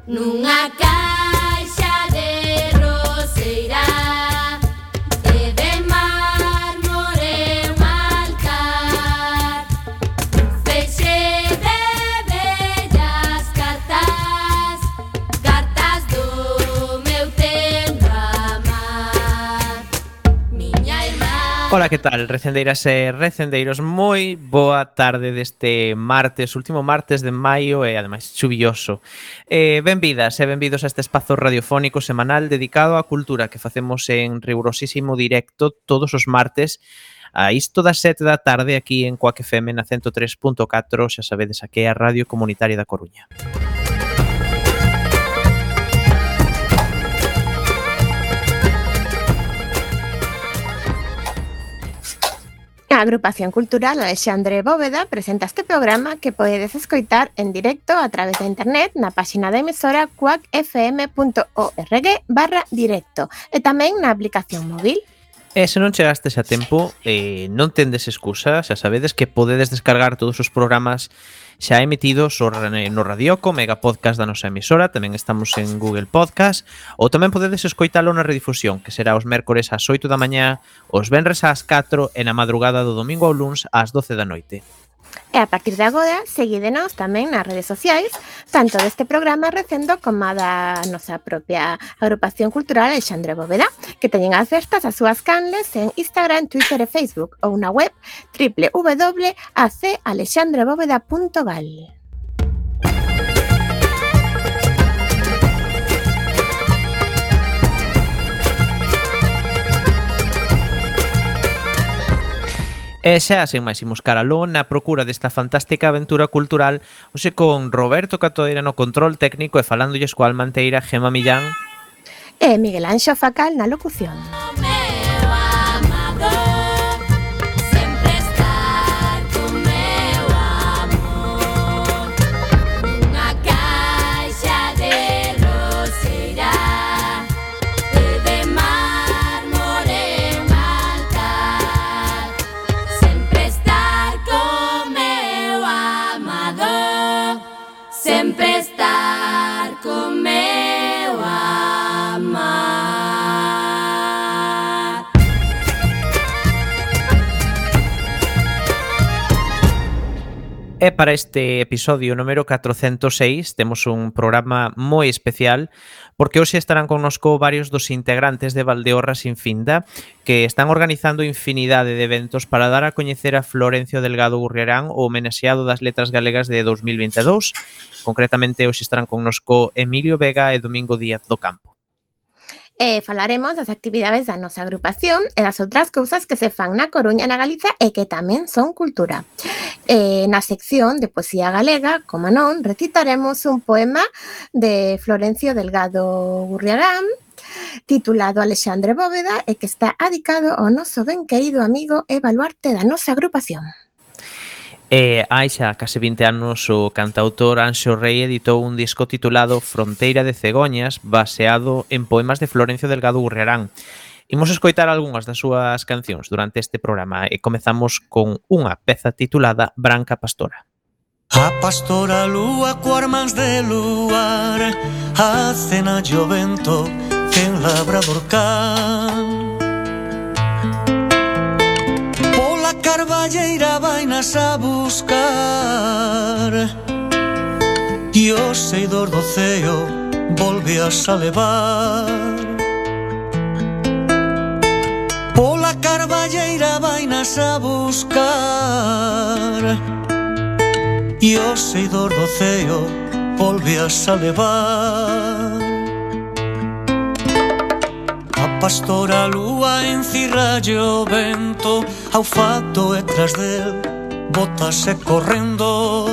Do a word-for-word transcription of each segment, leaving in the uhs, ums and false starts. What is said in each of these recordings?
Nunha caixa de roseira e de mármore un altar, un feixe de bellas cartas, cartas do meu tempo amar, miña irmá. Ola, que tal, recendeiras e recendeiros? Moi boa tarde deste martes, último martes de maio e ademais chuvioso. Eh, benvidas e benvidos a este espazo radiofónico semanal dedicado á cultura que facemos en rigurosísimo directo todos os martes a isto das sete da tarde aquí en Coac F M na ciento tres punto catro, xa sabedes, aquí é a Radio Comunitaria da Coruña. A Agrupación Cultural Alexandre Bóveda presenta este programa que podedes escoitar en directo a través de internet na páxina da emisora coac f m punto org barra directo e tamén na aplicación móvil. E se non chegastes a tempo, eh, non tendes excusa, xa sabedes que podedes descargar todos os programas xa emitidos no Radioco, Mega Podcast da nosa emisora, tamén estamos en Google Podcast, ou tamén podedes escoitalo na redifusión, que será os mércores ás oito da mañá, os venres ás catro e na madrugada do domingo ao luns ás doce da noite. E a partir de agora, seguídenos tamén nas redes sociais, tanto deste programa recendo como a da nosa propia Agrupación Cultural Alexandre Bóveda, que teñen as festas as súas canles en Instagram, Twitter e Facebook, ou na web doble u doble u doble u punto a c alexandre bóveda punto gal. E xa, sen máis, imos caraló na procura desta fantástica aventura cultural, hoxe con Roberto Catoira no control técnico e falándolles coa almanteira Gemma Millán E Miguel Anxo Facal na locución. Sempre estar con meu amar. E para este episodio número catrocentos e seis temos un programa moi especial porque hoxe estarán connosco varios dos integrantes de Valdeorra Sin Finda que están organizando infinidade de eventos para dar a coñecer a Florencio Delgado Gurriarán, o homenaxeado das letras galegas de dos mil vinte e dous. Concretamente hoxe estarán connosco Emilio Vega e Domingo Díaz do Campo. E falaremos das actividades da nosa agrupación e das outras cousas que se fan na Coruña e na Galiza e que tamén son cultura. E na sección de poesía galega, como non, recitaremos un poema de Florencio Delgado Gurriarán titulado Alexandre Bóveda e que está adicado ao noso ben querido amigo e baluarte da nosa agrupación. E hai xa case vinte anos o cantautor Anxo Rei editou un disco titulado Fronteira de Cegoñas, baseado en poemas de Florencio Delgado Gurriarán. Imos escoitar algunhas das súas cancións durante este programa e comezamos con unha peza titulada Branca Pastora. A pastora lúa coas mans de luar, a cena o vento que en labrador can. Pola carballeira vainas a buscar e o seidor do ceo volveas a levar. Pola carballeira vainas a buscar e o seidor do ceo volveas a levar. A pastora lúa encirralle o vento ao fato e tras del botase correndo.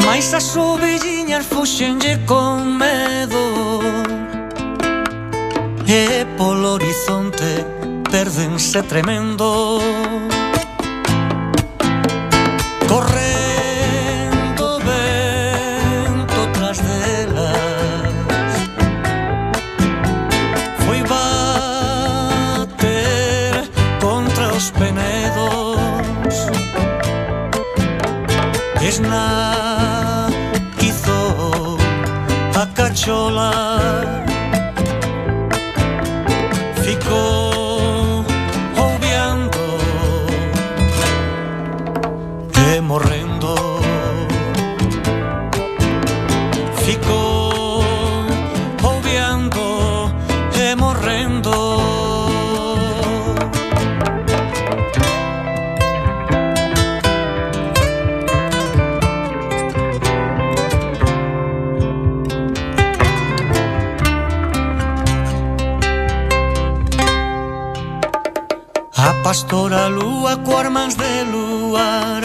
Mais as ovelliñas fuxenlle con medo e polo horizonte perdense tremendo. Correndo vento tras delas foi bater contra os penedos. Es na cachola ficou ouviando e morrendo, ficou ouviando e morrendo. A pastora lúa coas mans de luar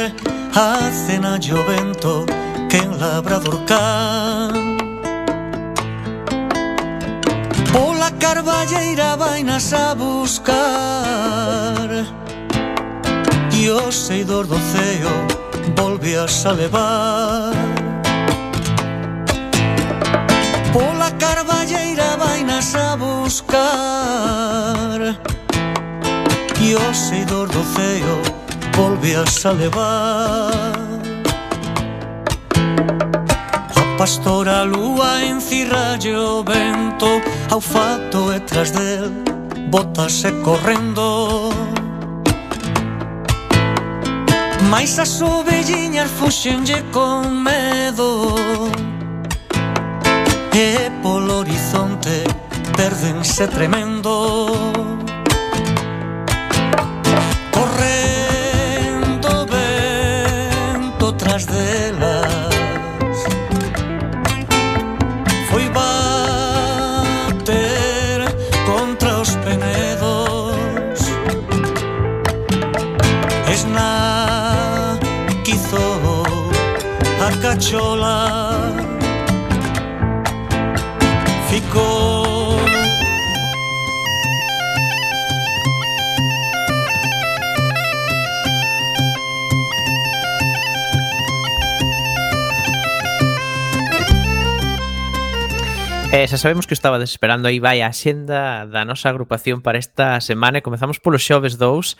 acena o vento que en labrador can. Pola carballeira vainas a buscar e o seidor do ceo volvías a levar. Pola carballeira vainas a buscar e o seidor do ceo volvías a levar. A pastora lúa encirralle o vento ao fato e tras del botase correndo. Mais as ovelliñas fuxenlle con medo e polo horizonte perdense tremendo. Correndo vento tras delas foi bater contra os penedos. Esnaquizou a cachola ficou. Eh, xa sabemos que estaba desesperando, aí vai a xenda da nosa agrupación para esta semana e comezamos polo xoves dous,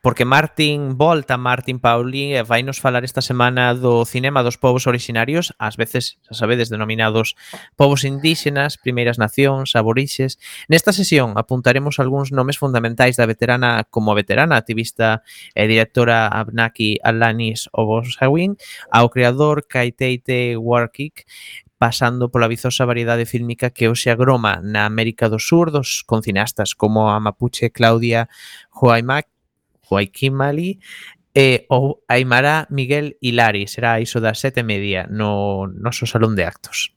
porque Martín volta, Martín Pauli, vai nos falar esta semana do cinema dos povos orixinarios, ás veces, xa sabedes, denominados povos indígenas, primeiras nacións, aborixes. Nesta sesión apuntaremos algúns nomes fundamentais da veterana, como a veterana activista e directora Abnaki Alanis Obosawin, ao creador Kaiteite Warkik, pasando pola vizosa variedade fílmica que hoxe agroma na América do Sur dos con cineastas como a mapuche Claudia Huaymac, Huayquimali e ou Aymara Miguel Hilari. Será iso das sete e media no noso salón de actos.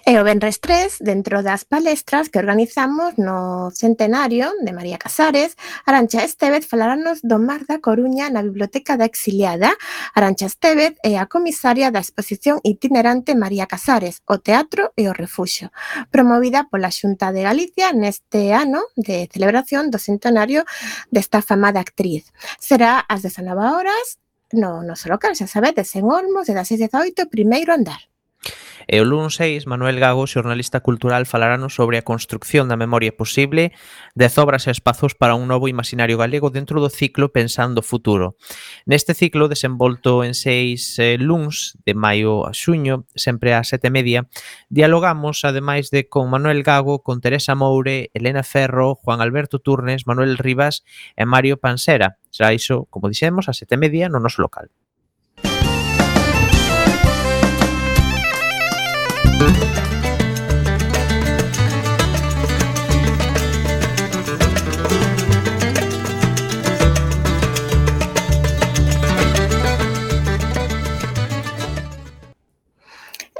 E o venres tres, dentro das palestras que organizamos no centenario de María Casares, Arantxa Estévez falarános do Mar da Coruña na Biblioteca da Exiliada. Arantxa Estévez é a comisaria da exposición itinerante María Casares, o Teatro e o Refuxio, promovida pola Xunta de Galicia neste ano de celebración do centenario desta famada actriz. Será ás dezanove horas no noso local, xa sabedes, en Olmos, de das seis dezaoito, primeiro andar. E o luns seis, Manuel Gago, xornalista cultural, falarános sobre a construcción da memoria posible, dez obras e espazos para un novo imaginario galego dentro do ciclo Pensando Futuro. Neste ciclo, desenvolto en seis eh, luns, de maio a xuño, sempre a sete e media, dialogamos, ademais de con Manuel Gago, con Teresa Moure, Elena Ferro, Juan Alberto Turnes, Manuel Rivas e Mario Pansera. Será iso, como dixemos, a sete e media no noso local.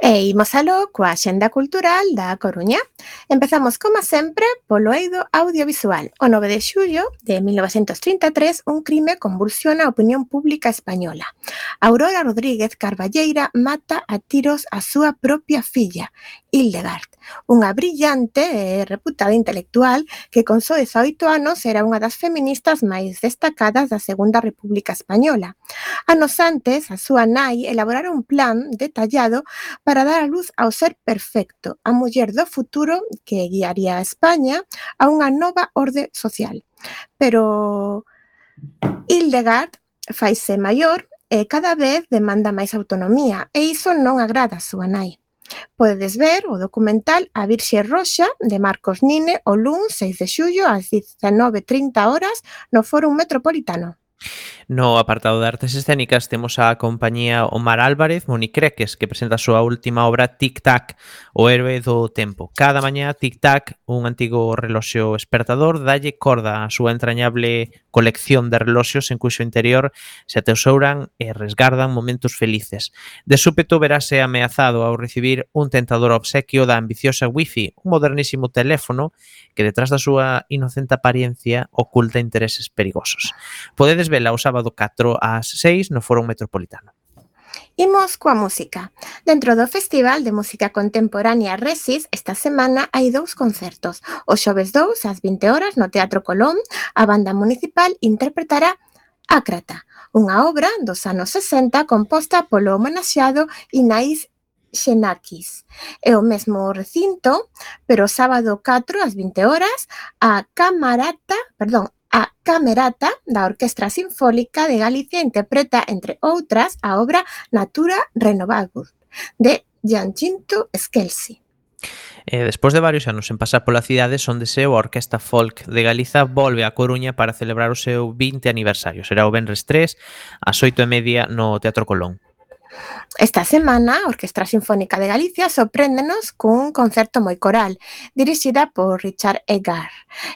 E imos aló coa Axenda Cultural da Coruña. Empezamos, como sempre, polo eido audiovisual. O nove de xullo de mil novecentos trinta e tres, un crime convulsiona a opinión pública española. Aurora Rodríguez Carballeira mata a tiros a súa propia filla, Hildegard, unha brillante e reputada intelectual que con só dezaoito anos era unha das feministas máis destacadas da Segunda República Española. Anos antes, a súa nai elaborara un plan detallado para dar a luz ao ser perfecto, a muller do futuro que guiaría a España a unha nova orde social. Pero Hildegard faise maior e cada vez demanda máis autonomía, e iso non agrada a súa nai. Podedes ver o documental A Virxe Roxa de Marcos Nine o luns seis de xullo ás dezanove e trinta horas no Fórum Metropolitano. No apartado de artes escénicas temos a compañía Omar Álvarez Monicreques, que presenta a súa última obra Tic Tac, o héroe do tempo. Cada mañá Tic Tac, un antigo reloxo espertador, dalle corda á súa entrañable colección de reloxos en cuxo interior se atesouran e resgardan momentos felices. De súpeto verase ameazado ao recibir un tentador obsequio da ambiciosa Wi-Fi, un modernísimo teléfono que detrás da súa inocente apariencia oculta intereses perigosos. Podedes vela o sábado catro ás seis no Fórum Metropolitano. Imos coa música. Dentro do Festival de Música Contemporánea Resis, esta semana hai dous concertos. O xoves dous, ás vinte horas, no Teatro Colón, a banda municipal interpretará Ácrata, unha obra dos anos sesenta composta polo homenaxeado Inaís Xenakis. É o mesmo recinto, pero o sábado catro ás vinte horas, a Camarata, perdón, a Camerata da Orquestra Sinfónica de Galicia interpreta, entre outras, a obra Natura Renovable, de Giancinto Scelsi. E despois de varios anos en pasar pola cidade, Sondese, a Orquesta Folk de Galiza volve a Coruña para celebrar o seu vinte aniversario. Será o venres tres, ás oito e media no Teatro Colón. Esta semana, a Orquestra Sinfónica de Galicia sorpréndenos cun concerto moi coral, dirixida por Richard Egar,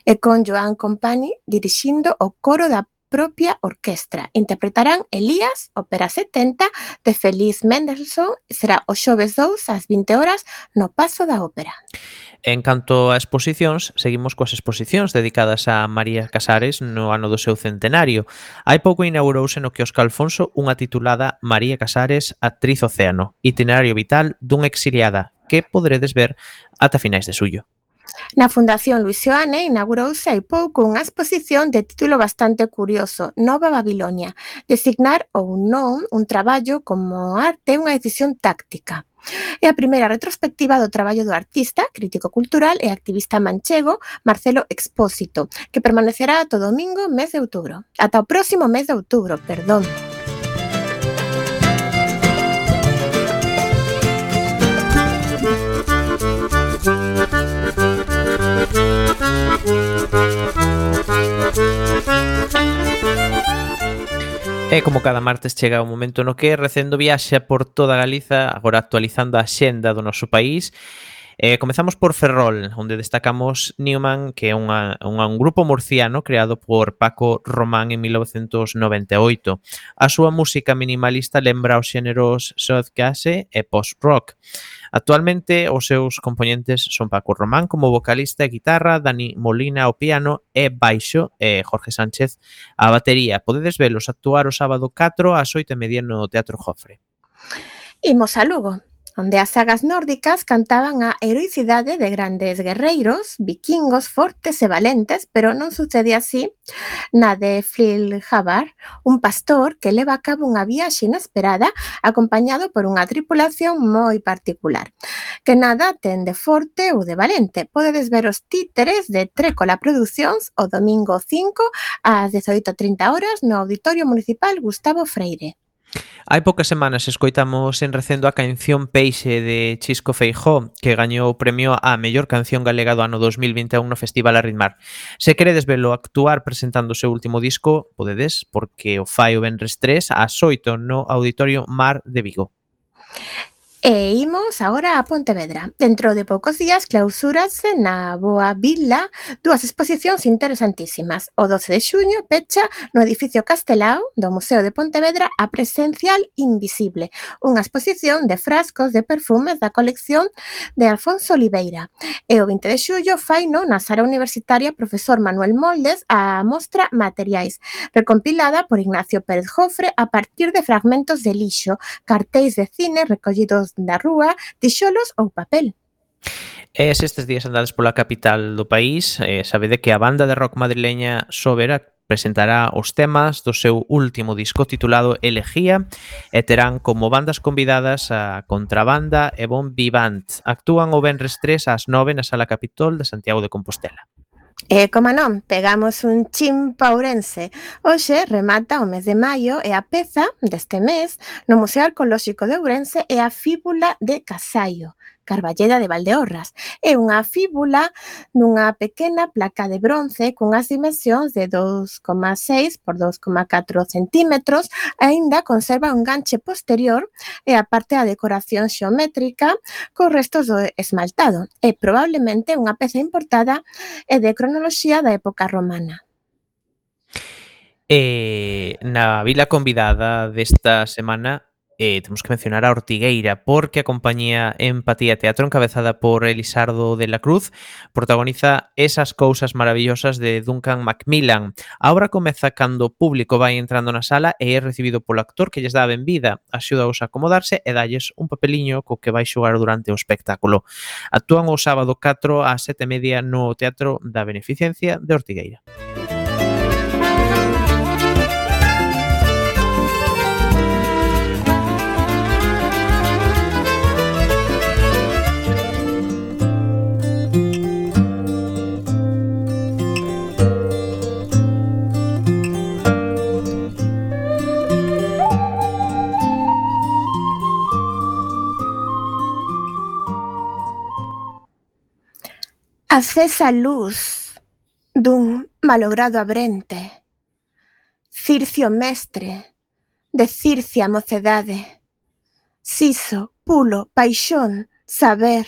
e con Joan Company dirixindo o coro da propia orquestra. Interpretarán Elías, ópera setenta, de Félix Mendelssohn, será o xoves dous ás vinte horas no Pazo da Ópera. En canto a exposicións, seguimos coas exposicións dedicadas a María Casares no ano do seu centenario. Hai pouco inaugurouse no quiosco Alfonso unha titulada María Casares, actriz océano, itinerario vital dunha exiliada, que poderedes ver ata finais de xullo. Na Fundación Luis Seoane inaugurouse hai pouco unha exposición de título bastante curioso, Nova Babilonia, designar ou non un traballo como arte unha decisión táctica. É a primeira retrospectiva do traballo do artista, crítico cultural e activista manchego Marcelo Expósito, que permanecerá ata o domingo mes de outubro. Ata o próximo mes de outubro, perdón. E como cada martes chega o momento no que recendo viaxa por toda Galiza, agora actualizando a xenda do noso país. Eh, comezamos por Ferrol, onde destacamos Newman, que é unha, unha, un grupo murciano creado por Paco Román en mil novecentos noventa e oito. A súa música minimalista lembra os xéneros soulcase e post-rock. Actualmente, os seus componentes son Paco Román como vocalista e guitarra, Dani Molina ao piano e baixo e Jorge Sánchez a batería. Podedes velos actuar o sábado catro ás oito e media no Teatro Jofre. Imos a Lugo, onde as sagas nórdicas cantaban a heroicidade de grandes guerreiros, vikingos fortes e valentes, pero non sucede así na de Flilhavar, un pastor que leva a cabo unha viaxe inesperada acompañado por unha tripulación moi particular, que nada ten de forte ou de valente. Podedes ver os títeres de Trécola Producións o domingo cinco ás dezaoito e trinta horas no Auditorio Municipal Gustavo Freire. Hai poucas semanas escoitamos en recendo a canción Peixe de Chisco Feijó, que gañou o premio á mellor canción galega do ano dos mil vinte e un no Festival Arritmar. Se queredes velo actuar presentando o seu último disco, podedes, porque o fai o venres tres ás oito no Auditorio Mar de Vigo. E imos agora a Pontevedra. Dentro de poucos días clausúrase na Boa Vila dúas exposicións interesantísimas. O doce de xuño pecha no edificio Castelao do Museo de Pontevedra a Presencial Invisible, unha exposición de frascos de perfumes da colección de Alfonso Oliveira. E o vinte de xullo faino na Sala Universitaria Profesor Manuel Moldes a mostra Materiais, recompilada por Ignacio Pérez Jofre a partir de fragmentos de lixo, cartéis de cine recollidos da rúa, tixolos ou papel. E se estes días andades pola capital do país, eh, sabede que a banda de rock madrileña Sobera presentará os temas do seu último disco titulado Elegía e terán como bandas convidadas a Contrabanda e Bon Vivant. Actúan o venres tres ás nove na Sala Capitol de Santiago de Compostela. E, como non, pegamos un chin pa Ourense. Hoxe remata o mes de maio e a peza deste mes no Museo Arqueolóxico de Ourense é a fíbula de Casallo, Carballeda de Valdeorras. É unha fíbula nunha pequena placa de bronce cunhas dimensións de dous coma seis por dous coma catro centímetros, aínda conserva un ganche posterior e a parte da decoración xeométrica cos restos do esmaltado. É probablemente unha peza importada e de cronoloxía da época romana. E na vila convidada desta semana eh, temos que mencionar a Ortigueira, porque a compañía Empatía Teatro, encabezada por Elisardo de la Cruz, protagoniza Esas cousas maravillosas de Duncan Macmillan. A obra comeza cando o público vai entrando na sala e é recibido polo actor que lles dá a benvida, axúdaos a acomodarse e dalles un papeliño co que vai xogar durante o espectáculo. Actúan o sábado catro ás sete e media no Teatro da Beneficencia de Ortigueira. Acesa luz dun malogrado abrente, Circio mestre, de Circia mocedade, Siso, pulo, paixón, saber,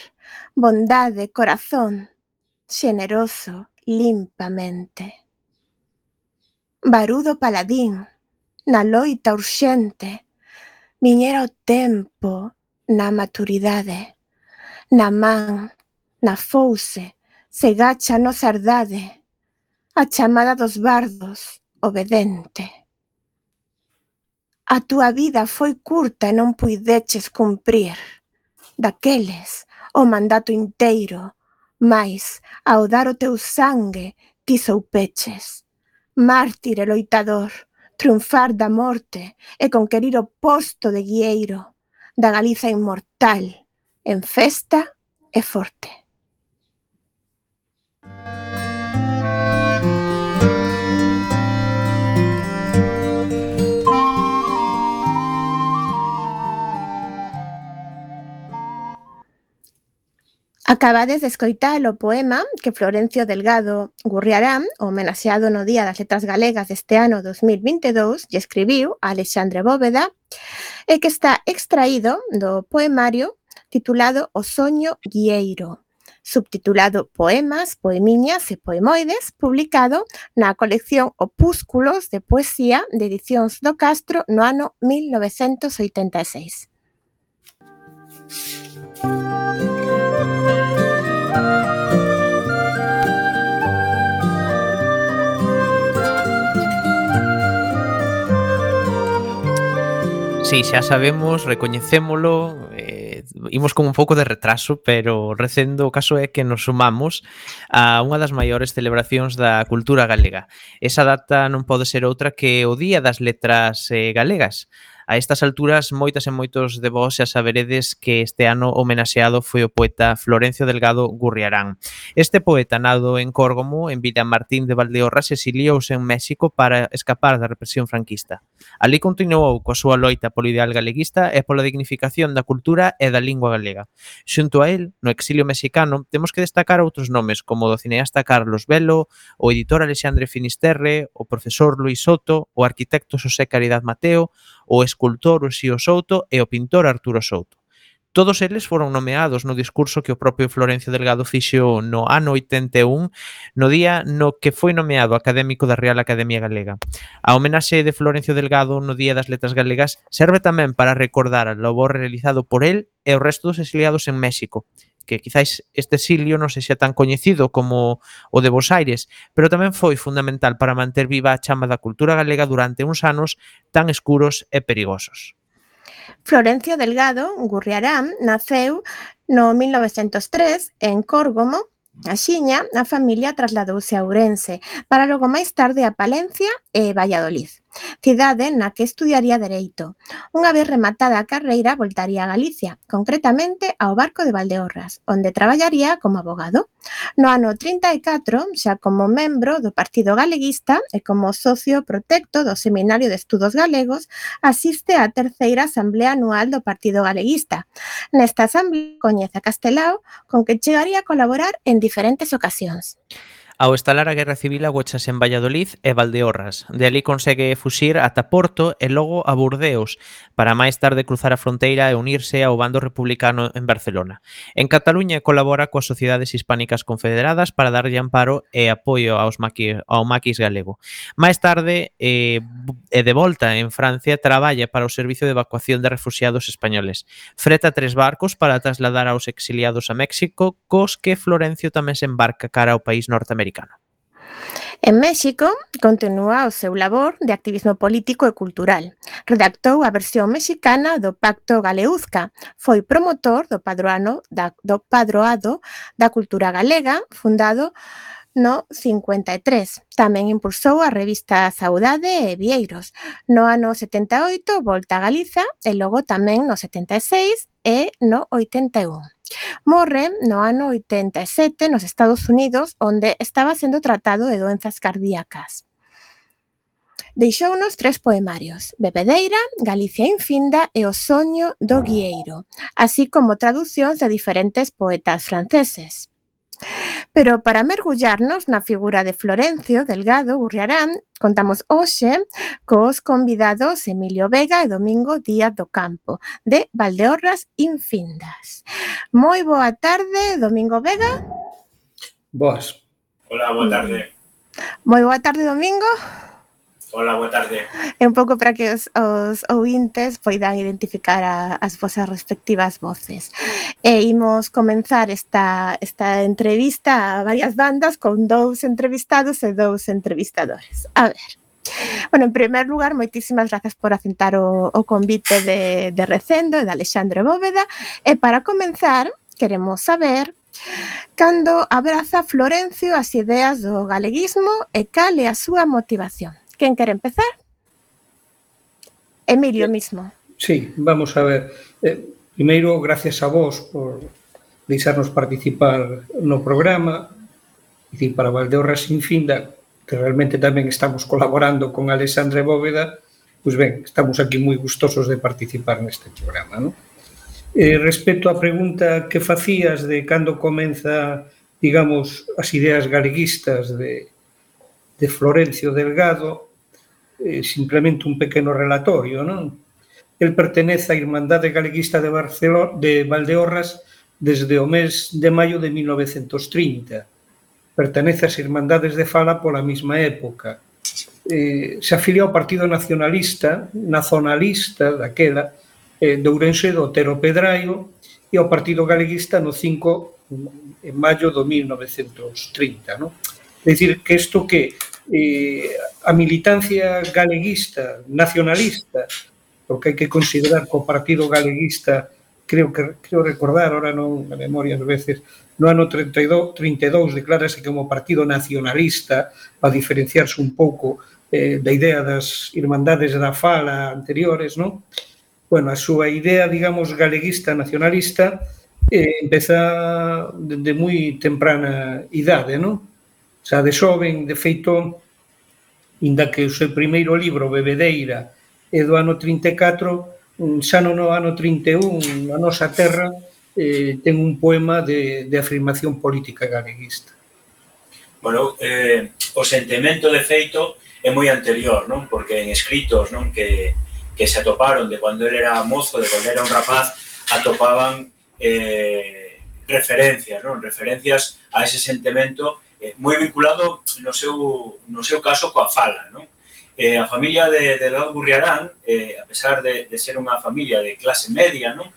bondade, corazón, xeneroso, limpamente. Barudo paladín, na loita urxente, viñera o tempo na maturidade, na man, na fouce, se gacha a nosa herdade, a chamada dos bardos, obedente. A túa vida foi curta e non puideches cumprir, daqueles o mandato inteiro, mais ao dar o teu sangue ti soupeches, mártir e loitador, triunfar da morte e conquerir o posto de guieiro, da Galiza inmortal, en festa e forte. Acabades de escoitar o poema que Florencio Delgado Gurriarán, homenaxeado no Día das Letras Galegas deste ano dos mil vinte e dous, lle escribiu a Alexandre Bóveda e que está extraído do poemario titulado O soño guieiro, subtitulado Poemas, Poemiñas e Poemoides, publicado na colección Opúsculos de Poesía de Edicións do Castro no ano mil novecentos oitenta e seis. Sí, xa sabemos, recoñecémolo, eh, imos con un pouco de retraso, pero recendo o caso é que nos sumamos a unha das maiores celebracións da cultura galega. Esa data non pode ser outra que o Día das Letras eh, Galegas. A estas alturas, moitas e moitos de vós xa saberedes que este ano homenaxeado foi o poeta Florencio Delgado Gurriarán. Este poeta, nado en Córgomo, en Villamartín de Valdeorras, exiliouse en México para escapar da represión franquista. Alí continuou coa súa loita polo ideal galeguista e pola dignificación da cultura e da lingua galega. Xunto a él, no exilio mexicano, temos que destacar outros nomes como o do cineasta Carlos Velo, o editor Alexandre Finisterre, o profesor Luis Soto, o arquitecto Xosé Caridad Mateo, o escultor Uxío Souto e o pintor Arturo Souto. Todos eles foron nomeados no discurso que o propio Florencio Delgado fixo no ano oitenta e un, no día no que foi nomeado académico da Real Academia Galega. A homenaxe de Florencio Delgado no Día das Letras Galegas serve tamén para recordar o labor realizado por el e o resto dos exiliados en México, que quizáis este exilio non sexa tan coñecido como o de Bos Aires, pero tamén foi fundamental para manter viva a chama da cultura galega durante uns anos tan escuros e perigosos. Florencio Delgado Gurriarán naceu no mil novecentos tres en Córgomo. Axiña, a familia trasladouse a Ourense, para logo máis tarde a Palencia e Valladolid, cidade na que estudiaría Dereito. Unha vez rematada a carreira, voltaría a Galicia, concretamente ao Barco de Valdeorras, onde traballaría como abogado. No ano trinta e catro, xa como membro do Partido Galeguista e como socio protecto do Seminario de Estudos Galegos, asiste á terceira Asamblea Anual do Partido Galeguista. Nesta asamblea coñece a Castelao, con que chegaría a colaborar en diferentes ocasións. Ao estalar a Guerra Civil agochase en Valladolid e Valdeorras. De ali consegue fuxir ata Porto e logo a Burdeos, para máis tarde cruzar a fronteira e unirse ao bando republicano en Barcelona. En Cataluña colabora coas Sociedades Hispánicas Confederadas para darlle amparo e apoio aos maquis, ao maquis galego. Máis tarde, e eh, de volta en Francia, traballa para o Servicio de Evacuación de Refuxiados Españoles. Freta tres barcos para trasladar aos exiliados a México, cos que Florencio tamén se embarca cara ao país norteamericano. En México, continúa o seu labor de activismo político e cultural. Redactou a versión mexicana do Pacto Galeuzca. Foi promotor do padroano da, do padroado da cultura galega, fundado no cincuenta e tres. Tamén impulsou a revista Saudade e Vieiros. No ano setenta e oito volta a Galiza e logo tamén no setenta e seis e no oitenta e un. Morre no ano oitenta e sete nos Estados Unidos, onde estaba sendo tratado de doenzas cardíacas. Deixounos tres poemarios: Bebedeira, Galicia infinda e O soño do guieiro, así como traducións de diferentes poetas franceses. Pero para mergullarnos na figura de Florencio Delgado Gurriarán, contamos hoxe cos convidados Emilio Vega e Domingo Díaz do Campo, de Valdeorras Infindas. Moi boa tarde, Domingo Vega. Boas. Hola, boa tarde. Moi boa tarde, Domingo. Hola, boa tarde. É un pouco para que os, os ouvintes poidan identificar a, as vosas respectivas voces. E imos comenzar esta, esta entrevista a varias bandas con dous entrevistados e dous entrevistadores. A ver. Bueno, en primer lugar, moitísimas grazas por aceptar o, o convite de, de Recendo e de Alexandre Bóveda. E para comenzar, queremos saber cando abraza Florencio as ideas do galeguismo e cal é a súa motivación. Quen quere empezar? Emilio mismo. Sí, vamos a ver. Eh, primeiro, gracias a vos por deixarnos participar no programa. E dicir, para Valdeorras Infinda, que realmente tamén estamos colaborando con Alexandre Bóveda, pois ben, estamos aquí moi gustosos de participar neste programa, non? Eh, respecto á pregunta que facías de cando comeza, digamos, as ideas galeguistas de, de Florencio Delgado, eh, simplemente un pequeno relatorio, non? El pertenece á Irmandade Galeguista de, Barcelona, de Valdeorras desde o mes de maio de mil novecentos trinta. Pertenece ás Irmandades de Fala pola mesma época. Eh, se afilia ao Partido Nacionalista, nazonalista daquela, eh, de Ourense do Otero Pedraio, e ao Partido Galeguista no cinco en maio do mil novecentos trinta. Non? É dicir, que isto que eh, a militancia galeguista, nacionalista, porque hai que considerar que o Partido Galeguista, creo que creo recordar, ahora non a memoria ás veces, no ano trinta e dous declárase como Partido Nacionalista, para diferenciarse un pouco eh, da idea das Irmandades da Fala anteriores, non? Bueno, a súa idea, digamos, galeguista, nacionalista, eh, empeza de moi temprana idade, non? Xa de xoven, de feito, inda que o seu primeiro libro, Bebedeira, é do ano trinta e catro, xa no ano trinta e un, a nosa terra eh, ten un poema de, de afirmación política galeguista. Bueno, eh, o sentimento de feito é moi anterior, non? Porque en escritos, non, que, que se atoparon de cando ele era mozo, de cando era un rapaz, atopaban eh, referencias, non? Referencias a ese sentimento eh, moi vinculado no seu, no seu caso coa fala, non? Eh, a familia de, de Delgado Gurriarán, eh, a pesar de, de ser unha familia de clase media, non?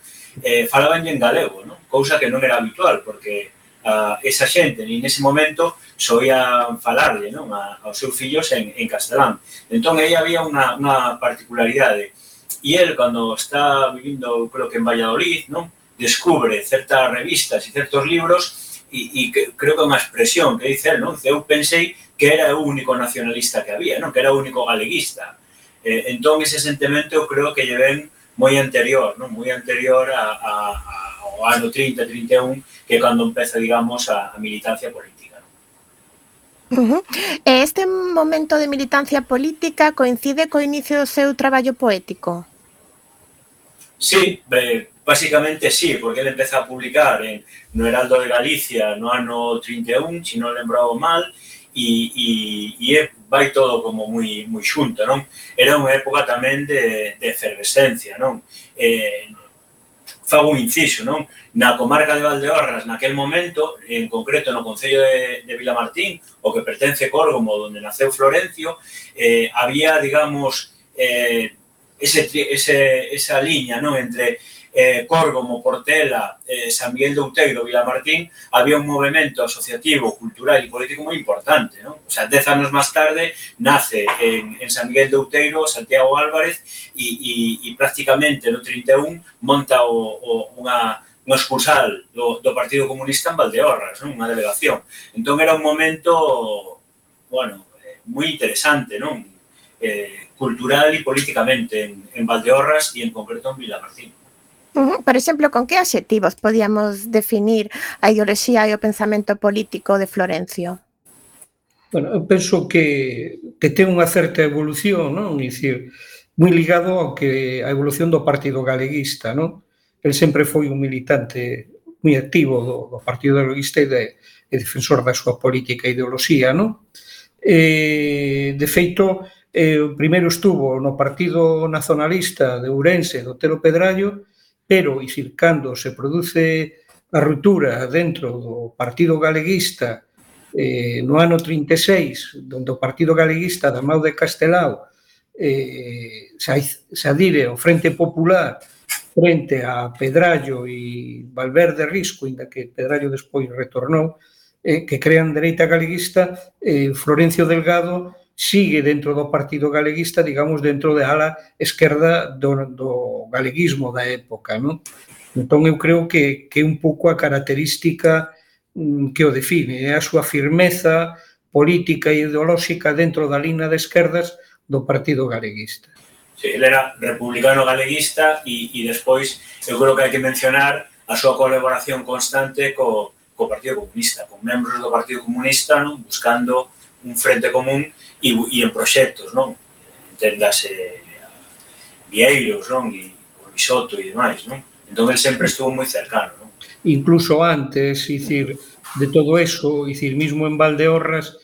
Eh, falaban en galego, non? Cousa que non era habitual, porque a esa xente, nin nese momento, soían falarlle, non? A, aos seus fillos en, en castelán. Entón, aí había unha, unha particularidade. E el, cando está vivindo, creo que en Valladolid, non? Descubre certas revistas e certos libros e, e que, creo que é unha expresión que dice el, non? Eu pensei que era o único nacionalista que había, non? Que era o único galeguista. Eh, entón, ese sentimento eu creo que lle ven moi anterior, non? Moi anterior a, a, a, ao ano trinta, trinta e un, que é cando empeza, digamos, a, a militancia política. Uh -huh. Este momento de militancia política coincide co inicio do seu traballo poético? Sí, eh, básicamente sí, porque ele empeza a publicar en, no Heraldo de Galicia no ano trinta e un, se non lembraba mal, e, e, e vai todo como moi, moi xunto, non? Era unha época tamén de, de efervescencia, non? Eh, fago un inciso, non? Na comarca de Valdeorras, naquel momento, en concreto no concello de, de Vilamartín, o que pertence Córgomo, onde naceu Florencio, eh, había, digamos, eh, ese, ese, esa liña, non? Entre eh, Córgomo, Portela, eh, San Miguel de Outeiro, Vilamartín, había un movimento asociativo, cultural e político moi importante, non? O sea, dez anos máis tarde nace en, en San Miguel de Outeiro Santiago Álvarez e, e, e prácticamente no trinta e un monta o, o, unha, unha excursal do, do Partido Comunista en Valdeorras, non? Unha delegación. Entón era un momento, bueno, moi interesante, non? Eh, cultural e políticamente en, en Valdeorras e en concreto en Vilamartín. Uh -huh. Por exemplo, con que adxetivos podíamos definir a ideoloxía e o pensamento político de Florencio? Bueno, eu penso que, que ten unha certa evolución, non? É dicir, moi ligado ao que a evolución do Partido Galeguista, non? El sempre foi un militante moi activo do, do Partido Galeguista e, de, e defensor da súa política e ideoloxía, non? E, de feito, eh, primeiro estuvo no Partido Nacionalista de Ourense, do Otero Pedrallo, pero, e dicir, cando se produce a ruptura dentro do Partido Galeguista eh, no ano trinta e seis, onde o Partido Galeguista da Mau de Castelao eh, se adire ao Frente Popular frente a Pedrallo e Valverde Risco, inda que Pedrallo despois retornou, eh, que crean dereita galeguista, eh, Florencio Delgado sigue dentro do Partido Galeguista, digamos, dentro da ala esquerda do, do galeguismo da época, non? Entón, eu creo que, que é un pouco a característica mm, que o define, é a súa firmeza política e ideolóxica dentro da línea de esquerdas do Partido Galeguista. Sí, ele era republicano galeguista e, e despois eu creo que hai que mencionar a súa colaboración constante co, co Partido Comunista, con membros do Partido Comunista, non? Buscando un frente común e, e en proxectos, non? Entendase Vieiros, non? E o Bisoto e demais, non? Entón, ele sempre estuvo moi cercano, non? Incluso antes, dicir, de todo eso, dicir, mismo en Valdeorras,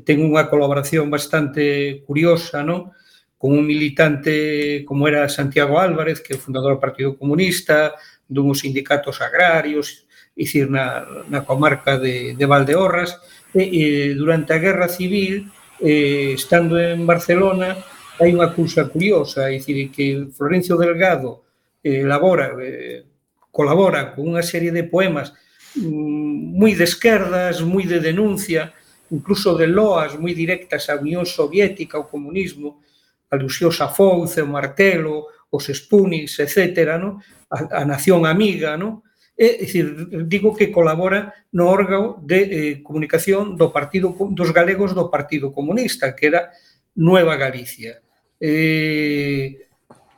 ten unha colaboración bastante curiosa, non? Con un militante como era Santiago Álvarez, que é o fundador do Partido Comunista, dunhos sindicatos agrarios, dicir, na, na comarca de, de Valdeorras, e, e durante a Guerra Civil, eh, estando en Barcelona, hai unha cousa curiosa, é dicir, que Florencio Delgado eh, elabora, eh, colabora con unha serie de poemas mm, moi de esquerdas, moi de denuncia, incluso de loas moi directas á Unión Soviética, ao comunismo, alusións a Fouce, o Martelo, os Spunis, etcétera, no? a, a Nación Amiga, no? É dicir, digo que colabora no órgano de eh, comunicación do partido dos galegos do Partido Comunista, que era Nueva Galicia. Eh,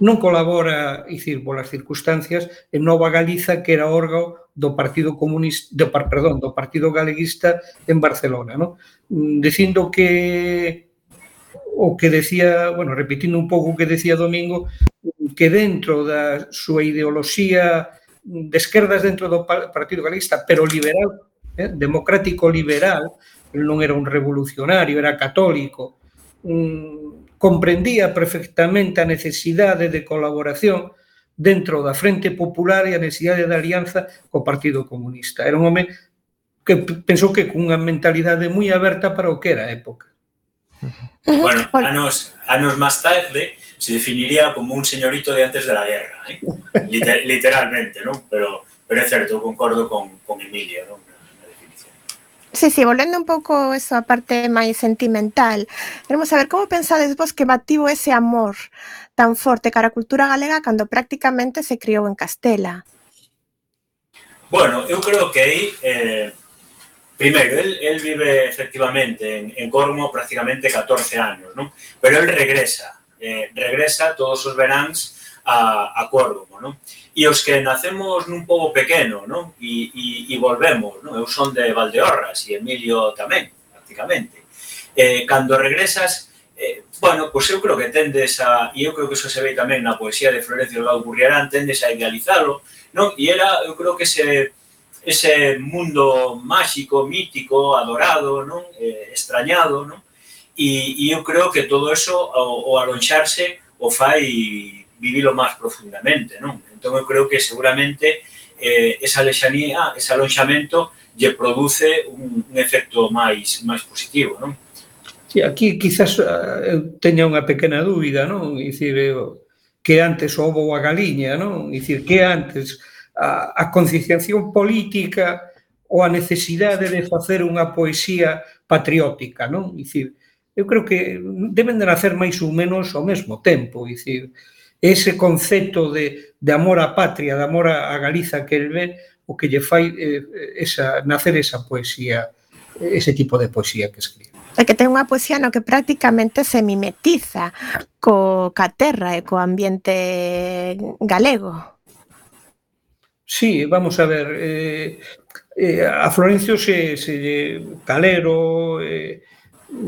non colabora, dicir, polas circunstancias, en Nova Galiza, que era órgano do Partido Comunista, do, perdón, do Partido Galeguista en Barcelona, no? Dicindo que o que decía, bueno, repetindo un pouco o que decía Domingo, que dentro da súa ideoloxía de esquerdas dentro do Partido Galeguista, pero liberal, eh, democrático liberal, non era un revolucionario, era católico, um, comprendía perfectamente a necesidade de colaboración dentro da Frente Popular e a necesidade de alianza co Partido Comunista. Era un home que pensou que cunha mentalidade moi aberta para o que era a época. Bueno, anos, anos máis tarde se definiría como un señorito de antes de la guerra, ¿eh? Liter, literalmente, ¿no? Pero, pero é certo, concordo con, con Emilia, ¿no? Na definición. Sí, sí, volvendo un pouco eso a parte máis sentimental, queremos saber como pensades vos que bativo ese amor tan forte cara a cultura galega cando prácticamente se criou en Castela. Bueno, eu creo que aí, eh, primeiro, él, él vive efectivamente en, en Córdoba prácticamente catorce anos, non? Pero él regresa, eh, regresa todos os veráns a, a Córdoba, non? E os que nacemos nun pobo pequeno, non? E, e, e volvemos, non? Eu son de Valdeorras e Emilio tamén, prácticamente. Eh, cando regresas, eh, bueno, pois eu creo que tendes a, e eu creo que iso se ve tamén na poesía de Florencio Delgado Gurriarán, tendes a idealizalo, non? E era, eu creo que ese, ese mundo máxico, mítico, adorado, non? Eh, extrañado, non? E, e eu creo que todo eso, o, o alonxarse, o fai vivilo máis profundamente, non? Entón, eu creo que seguramente eh, esa lexanía, ese alonxamento, lle produce un, un efecto máis, máis positivo, non? Sí, aquí quizás eu teña unha pequena dúbida, non? Dicir, que antes o ovo ou a galiña, non? Dicir, que antes a, a concienciación política ou a necesidade de facer unha poesía patriótica, non? Dicir, eu creo que deben de nacer máis ou menos ao mesmo tempo, dicir, ese concepto de, de amor á patria, de amor a Galiza que el ve, o que lle fai eh, esa, nacer esa poesía, ese tipo de poesía que escribe. É que ten unha poesía no que prácticamente se mimetiza co ca terra e co ambiente galego. Sí, vamos a ver, eh, eh, a Florencio se, se Calero, eh,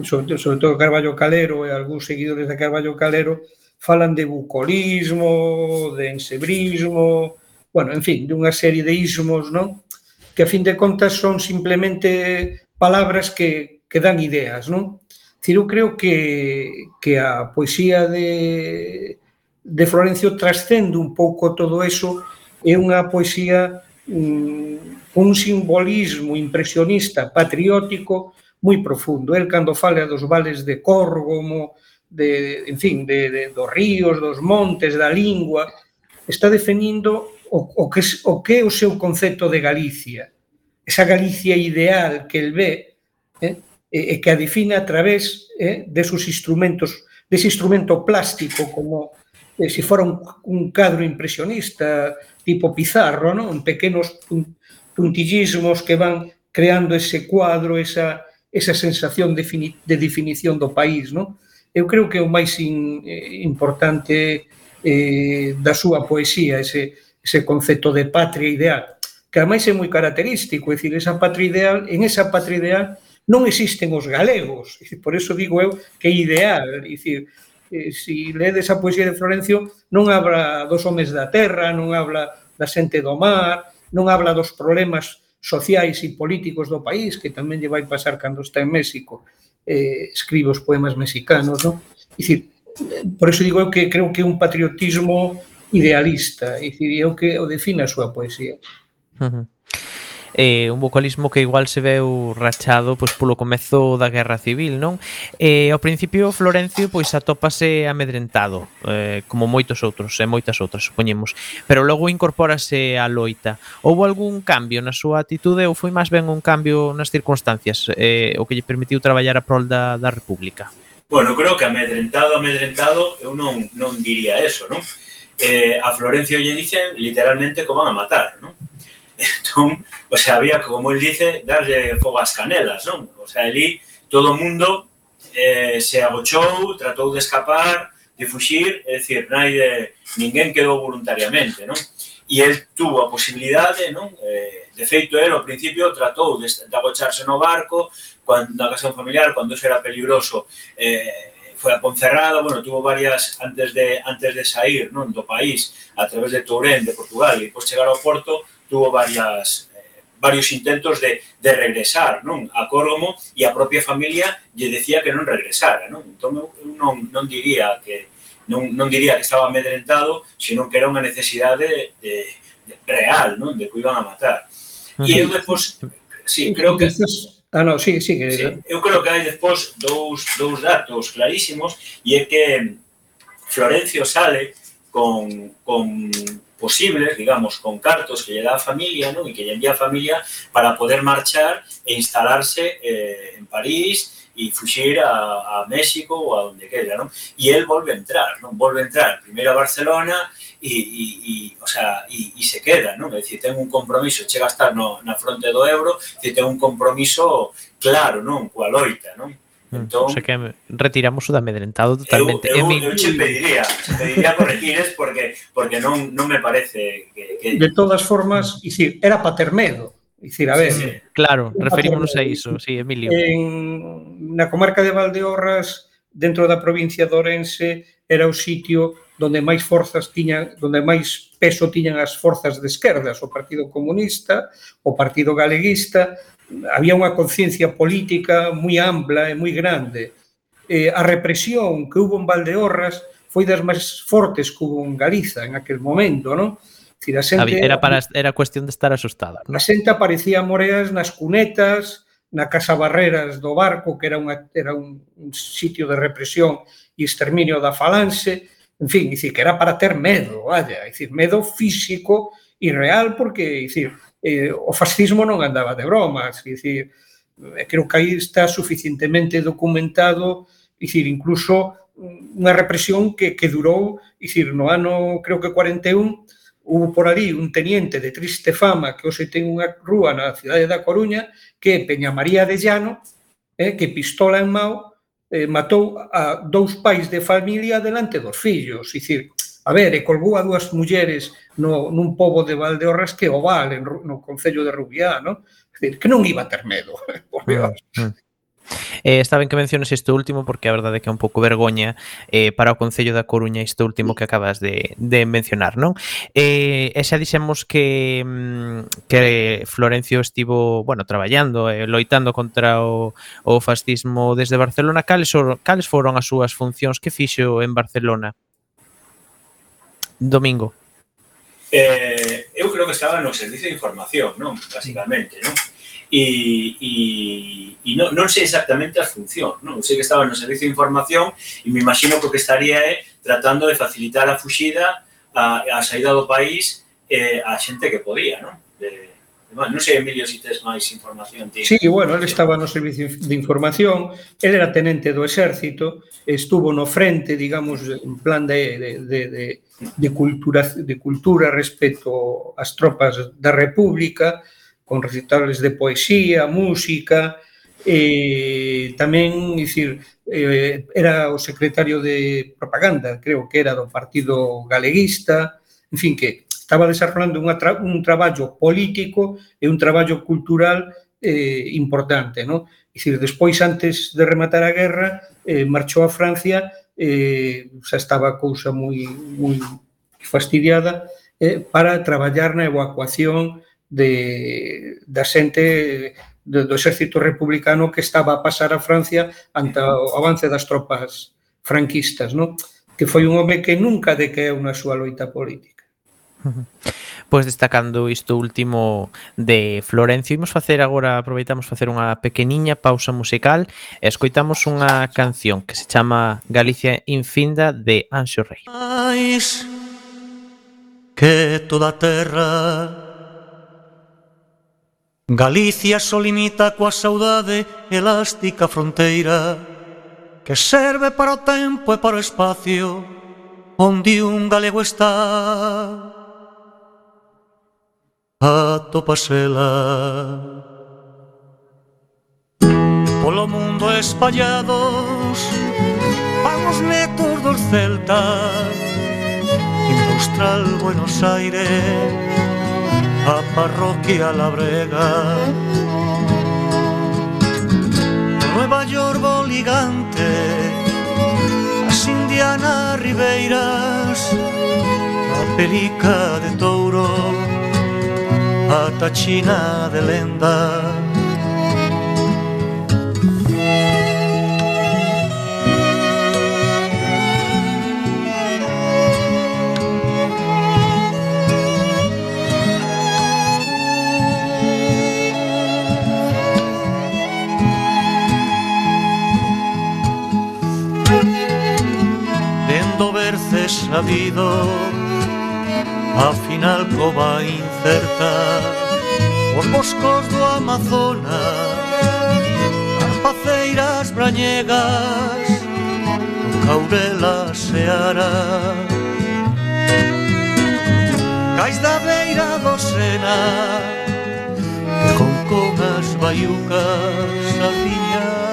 sobre, sobre todo Carballo Calero e algúns seguidores de Carballo Calero falan de bucolismo, de ensebrismo, bueno, en fin, de unha serie de ismos, non? Que a fin de contas son simplemente palabras que que dan ideas, non? Decir, eu creo que, que a poesía de, de Florencio trascende un pouco todo eso, é unha poesía mm, un simbolismo impresionista, patriótico, moi profundo. El, cando fala dos vales de Córgomo, de, en fin, de, de, dos ríos, dos montes, da lingua, está definindo o, o, que, o que é o seu concepto de Galicia. Esa Galicia ideal que el ve, eh, e que a define a través eh, desos instrumentos, dese instrumento plástico, como eh, se fora un, un cadro impresionista, tipo Pizarro, ¿no? En pequenos puntillismos que van creando ese cuadro, esa, esa sensación de, de definición do país, ¿no? Eu creo que é o máis in, eh, importante eh, da súa poesía, ese, ese concepto de patria ideal, que ademais é moi característico, é dicir, esa patria ideal, en esa patria ideal non existen os galegos, por eso digo eu que é ideal, é dicir, eh, si ledes a poesía de Florencio non habla dos homes da terra, non habla da xente do mar, non habla dos problemas sociais e políticos do país, que tamén lle vai pasar cando está en México, eh, escribe os poemas mexicanos, non? É dicir, por eso digo eu que creo que é un patriotismo idealista, é dicir, é o que o define a súa poesía. Uh-huh. Eh, un vocalismo que igual se veu rachado pois polo comezo da Guerra Civil, non? Eh, ao principio Florencio pois atópase amedrentado, eh, como moitos outros, e moitas outras, supoñemos, pero logo incorpórase á loita. Houbo algún cambio na súa atitude ou foi máis ben un cambio nas circunstancias, eh, o que lle permitiu traballar a prol da, da República? Bueno, creo que amedrentado, amedrentado, eu non, non diría eso, non? Eh, a Florencio lle dicen literalmente que van a matar, non? Entón, o sea, había, como él dice, darlle fogo ás canelas, non? O sea, ali todo o mundo eh, se agochou, tratou de escapar, de fuxir, é dicir, naide, ninguén quedou voluntariamente, non? E el tuvo a posibilidade, non? Eh, de feito, el, ao principio, tratou de, de agocharse no barco, cuando, na ocasión familiar, cando eso era peligroso, eh, foi a Ponferrada, bueno, tuvo varias, antes de, antes de sair, non? Do país, a través de Tourén, de Portugal, e depois chegar ao Porto, tuvo varias, eh, varios intentos de, de regresar, non? A Córgomo, e a propia familia lle decía que non regresara, non? Entón, eu non, non diría que non, non diría que estaba amedrentado, sino que era unha necesidade de, de real, non? De que iban a matar. E eu despois, sí, creo que... Ah, no, sí, sí, que... Sí, eu creo que hai despois dous, dous datos clarísimos, e é que Florencio sale con, con posibles, digamos, con cartos que lle dá a familia, non? E que lle envía a familia para poder marchar e instalarse eh, en París e fuxir a, a México ou a onde quera, non? E el volve a entrar, non? Volve a entrar primeiro a Barcelona e, e, e o sea, e, e se queda, non? É dicir, ten un compromiso, chega a estar no, na fronte do euro, e ten un compromiso claro, non? Coa loita, non? Entón, o sea que retiramos o de amedrentado totalmente. Eu, eu, eu che pediría, che pediría corregires porque porque non non me parece que, que... De todas formas, dicir, era para ter medo. Dicir, a ver, sí, sí. Claro, referímonos a iso, sí, Emilio. En, na comarca de Valdeorras, dentro da provincia de Ourense, era o sitio donde máis forzas tiñan, donde máis peso tiñan as forzas de esquerdas, o Partido Comunista, o Partido Galeguista. Había unha conciencia política moi ampla e moi grande. Eh, a represión que hubo en Valdeorras foi das máis fortes que hubo en Galiza en aquel momento, non? Decir, a xente, era, para, era cuestión de estar asustada, non? A xente aparecía moreas nas cunetas, na Casa Barreras do Barco, que era, unha, era un, un sitio de represión e exterminio da falanxe, en fin, dicir, que era para ter medo, vaya, dicir, medo físico e real, porque, dicir, eh, o fascismo non andaba de bromas, dicir, creo que aí está suficientemente documentado, dicir, incluso unha represión que, que durou, dicir, no ano, creo que cuarenta e un, hubo por ali un teniente de triste fama que hoxe ten unha rúa na cidade da Coruña, que é Peña María de Llano, eh, que pistola en mao, eh, matou a dous pais de familia delante dos fillos, dicir, a ver, e colgou a dúas mulleres no, nun pobo de Valdeorras que o Val, no concello de Rubiá, non? É dicir, que non iba a ter medo, por Dios. Mm, mm. Eh, está ben que menciones isto último porque a verdade é que é un pouco vergoña eh, para o Concello da Coruña isto último que acabas de, de mencionar, non? Eh, e xa dixemos que, que Florencio estivo, bueno, traballando, eh, loitando contra o, o fascismo desde Barcelona. Cales, cales foron as súas funcións que fixo en Barcelona? Domingo. Eh, eu creo que estaba no servicio de información, non? Basicamente, non? E, e, e non, non sei exactamente as funcións, non? Sei que estaba no servicio de información e me imagino que o que estaría é tratando de facilitar a fuxida, a, a saída do país eh, a xente que podía, non? De, non sei, Emilio, se tes máis información. Tío. Sí, bueno, ele estaba no servicio de información, ele era tenente do exército, estuvo no frente, digamos, en plan de, de, de, de, de, cultura, de cultura respecto ás tropas da República, con recitales de poesía, música, e tamén, dicir, eh, era o secretario de propaganda, creo que era do Partido Galeguista, en fin, que estaba desarrollando unha tra un traballo político e un traballo cultural eh, importante, non? Dicir, despois, antes de rematar a guerra, eh, marchou a Francia, eh, xa estaba a cousa moi, moi fastidiada, eh, para traballar na evacuación de, da xente do, do exército republicano que estaba a pasar a Francia ante o avance das tropas franquistas, non? Que foi un home que nunca decaeu na súa loita política. Pois destacando isto último de Florencio, imos facer agora, aproveitamos facer unha pequeniña pausa musical e escoitamos unha canción que se chama Galicia Infinda de Anxo Rei. Mais que toda a terra Galicia só limita coa saudade elástica fronteira que serve para o tempo e para o espacio onde un galego está. Atopasela polo mundo espallados, vamos netos dos celtas, en Austral, Buenos Aires, a parroquia La Brega, Nueva York, Boligante, as Indianas Ribeiras, a Perica de Touro, a Tachina de Lenda. Dendo verces sabido, a final cova incerta, os boscos do Amazonas, as cabeceiras brañegas, o caurela seara. Cais da beira do Sena, que con con as baiucas afiñas.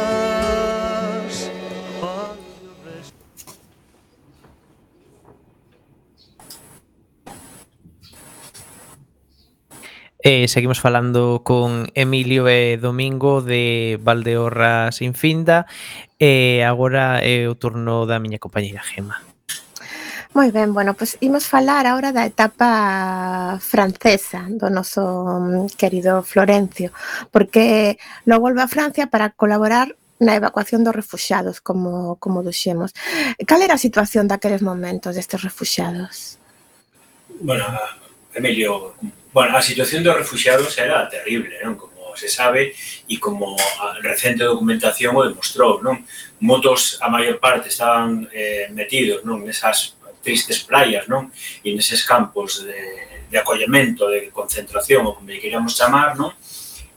Eh, seguimos falando con Emilio e Domingo de Valdeorras Infinda e agora é o turno da miña compañeira Gema. Moi ben, bueno, pois imos falar agora da etapa francesa do noso mm, querido Florencio, porque logo volve a Francia para colaborar na evacuación dos refuxiados, como, como duxemos. Cal era a situación daqueles momentos destes refuxiados? Bueno, Emilio, bueno, a situación dos refuxiados era terrible, non? Como se sabe e como a recente documentación o demostrou, non? Motos, a maior parte, estaban eh, metidos, non? Nesas tristes playas, non? E neses campos de, de acollemento, de concentración, ou como queríamos chamar, non?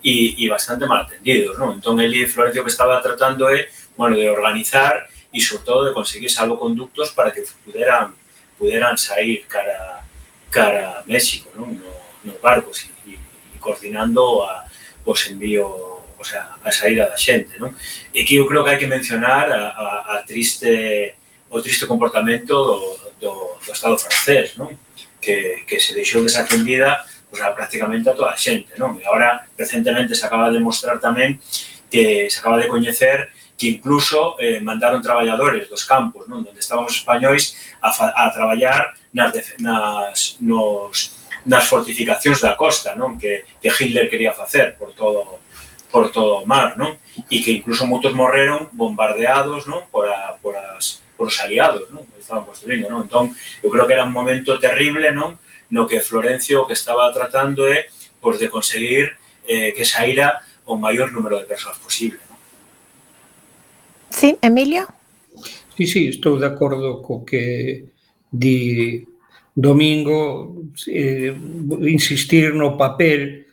E, e bastante mal atendidos, non? Entón, ele Florencio que estaba tratando é, bueno, de organizar e, sobre todo, de conseguir salvoconductos para que puderan, puderan sair cara, cara a México, non? No, nos barcos e, e coordinando a, os envíos, o sea, a saída da xente, non? E que eu creo que hai que mencionar a, a, a triste, o triste comportamento do, do, do Estado francés, non? Que, que se deixou desatendida pues, a prácticamente a toda a xente, non? E agora, recentemente, se acaba de mostrar tamén que se acaba de coñecer que incluso eh, mandaron traballadores dos campos, non? Donde estaban os españois a, fa, a traballar nas, nas, nos, nas fortificacións da costa, non? Que, que Hitler quería facer por todo, por todo o mar, non? E que incluso moitos morreron bombardeados, non? Por, a, por, as, por os aliados, non? Que estaban construindo, non? Entón, eu creo que era un momento terrible, non? No que Florencio o que estaba tratando é pues, de conseguir eh, que saíra o maior número de persoas posible, non? Sí, Emilio? Sí, sí, estou de acordo co que di Domingo, eh, insistir no papel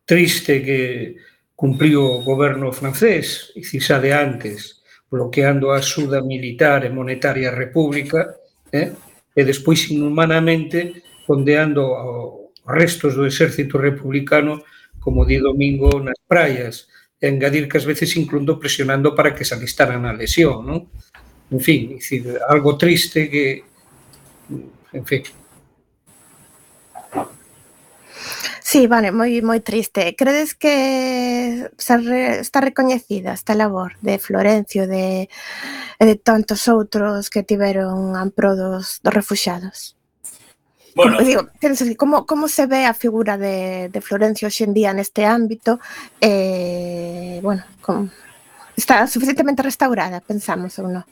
triste que cumpriu o goberno francés, e xa de antes, bloqueando a axuda militar e monetaria á República, eh, e despois inhumanamente condeando aos restos do exército republicano, como di Domingo, nas praias, e engadir que ás veces incluso presionando para que se alistaran na lesión, non? En fin, dicir, algo triste que, en fin. Sí, vale, moi moi triste. Credes que se re, está recoñecida esta labor de Florencio de, e de tantos outros que tiveron en pro dos, dos refuxiados? Bueno, Como, digo, como, como se ve a figura de, de Florencio hoxe en día neste ámbito? Eh, bueno, como, está suficientemente restaurada, pensamos, ou non?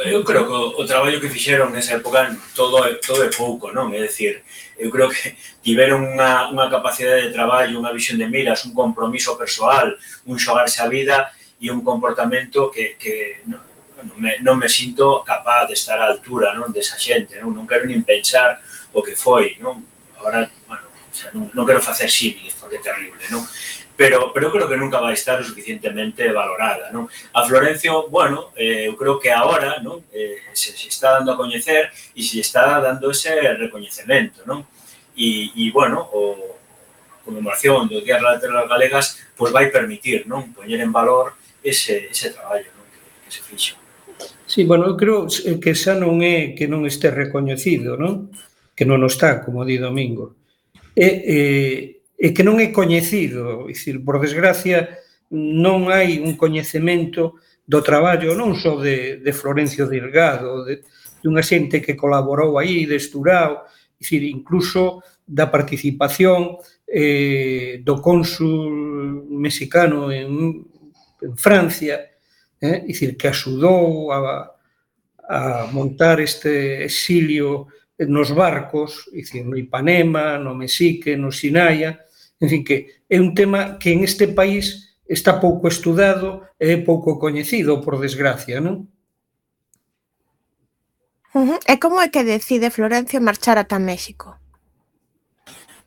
Eu creo que o, o traballo que fixeron nesa época todo é, todo é pouco, non? É dicir, eu creo que tiveron unha, unha capacidade de traballo, unha visión de miras, un compromiso persoal, un xogarse a vida e un comportamento que, que non, non, me, non me sinto capaz de estar á altura, non, desa xente, non? Non quero nin pensar o que foi, non? Agora, bueno, o sea, non, non quero facer símiles porque é terrible, non? Pero, pero creo que nunca vai estar o suficientemente valorada, non? A Florencio, bueno, eh, eu creo que agora, non? Eh, se, se está dando a coñecer e se está dando ese recoñecemento, non? E, e bueno, o conmemoración do Día das Letras Galegas pois vai permitir, non? Poñer en valor ese, ese traballo, non? Que, que se fixo. Sí, bueno, eu creo que xa non é que non este recoñecido, non? Que non o está, como di Domingo. E, eh, e que non é coñecido, é dicir, por desgracia, non hai un coñecemento do traballo non só de, de Florencio Delgado, de, de unha xente que colaborou aí, de Esturao, é dicir, incluso da participación eh, do cónsul mexicano en, en Francia, eh, é dicir, que axudou a, a montar este exilio nos barcos, é dicir, no Ipanema, no Mexique, no Sinaia, en fin, que é un tema que en este país está pouco estudado e pouco coñecido, por desgracia, non? Uh-huh. E como é que decide Florencio marchar ata México?